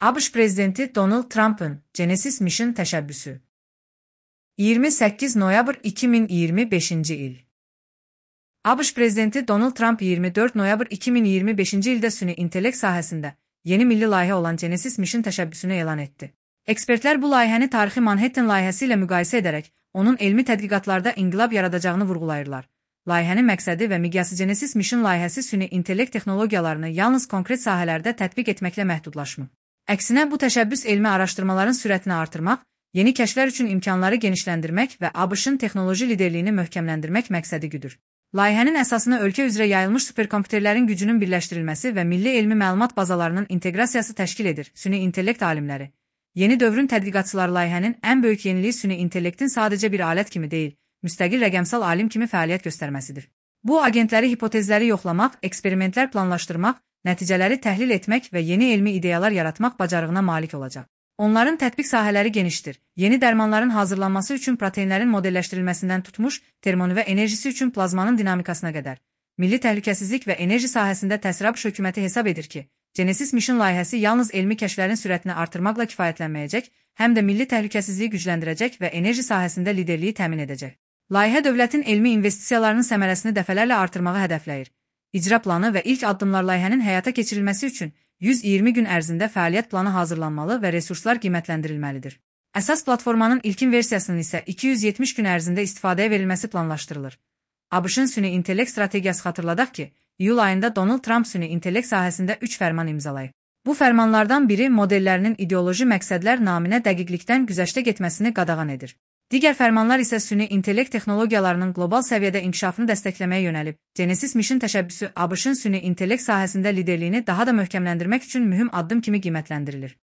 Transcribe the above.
ABŞ prezidenti Donald Trump'ın Genesis Mission təşəbbüsü. 28 noyabr 2025-ci il. ABŞ prezidenti Donald Trump 24 noyabr 2025-ci ildə süni intellekt sahəsində yeni milli layihə olan Genesis Mission təşəbbüsünü elan etdi. Ekspertlər bu layihəni tarixi Manhattan layihəsi ilə müqayisə edərək, onun elmi tədqiqatlarda inqilab yaradacağını vurğulayırlar. Layihənin məqsədi və miqyası Genesis Mission layihəsi süni intellekt texnologiyalarını yalnız konkret sahələrdə tətbiq etməklə məhdudlaşmır. Əksinə, bu təşəbbüs elmi araşdırmaların sürətini artırmaq, yeni kəşflər üçün imkanları genişləndirmək və ABŞ-ın texnoloji liderliyini möhkəmləndirmək məqsədi güdür. Layihənin əsasını ölkə üzrə yayılmış superkomputerlərin gücünün birləşdirilməsi və milli elmi məlumat bazalarının inteqrasiyası təşkil edir. Süni intellekt alimləri. Yeni dövrün tədqiqatçıları layihənin ən böyük yeniliyi süni intellektin sadəcə bir alət kimi deyil, müstəqil rəqəmsal alim kimi fəaliyyət göstərməsidir. Bu, agentləri hipotezləri yoxlamaq, eksperimentlər planlaşdırmaq, nəticələri təhlil etmək və yeni elmi ideyalar yaratmaq bacarığına malik olacaq. Onların tətbiq sahələri genişdir. Yeni dərmanların hazırlanması üçün proteinlərin modelləşdirilməsindən tutmuş, termonüvə enerjisi üçün plazmanın dinamikasına qədər. Milli təhlükəsizlik və enerji sahəsində təsir ABŞ hökuməti hesab edir ki, Genesis Mission layihəsi yalnız elmi kəşflərin sürətini artırmaqla kifayətlənməyəcək, həm də milli təhlükəsizliyi gücləndirəcək və enerji sahəsində liderliyi təmin edəcək. Layihə dövlətin elmi investisiyalarının səmərəsini dəfələrlə artırmağı hədəfləyir. İcra planı və ilk addımlar layihənin həyata keçirilməsi üçün 120 gün ərzində fəaliyyət planı hazırlanmalı və resurslar qiymətləndirilməlidir. Əsas platformanın ilkin versiyasının isə 270 gün ərzində istifadəyə verilməsi planlaşdırılır. ABŞ-ın süni intellekt strategiyası xatırladaq ki, iyul ayında Donald Trump süni intellekt sahəsində 3 fərman imzalayıb. Bu fərmanlardan biri modellərinin ideoloji məqsədlər naminə dəqiqlikdən güzəştə getməsini qadağan edir. Digər fərmanlar isə süni intellekt texnologiyalarının qlobal səviyyədə inkişafını dəstəkləməyə yönəlib. Genesis Mission təşəbbüsü ABŞ-ın süni intellekt sahəsində liderliyini daha da möhkəmləndirmək üçün mühüm addım kimi qiymətləndirilir.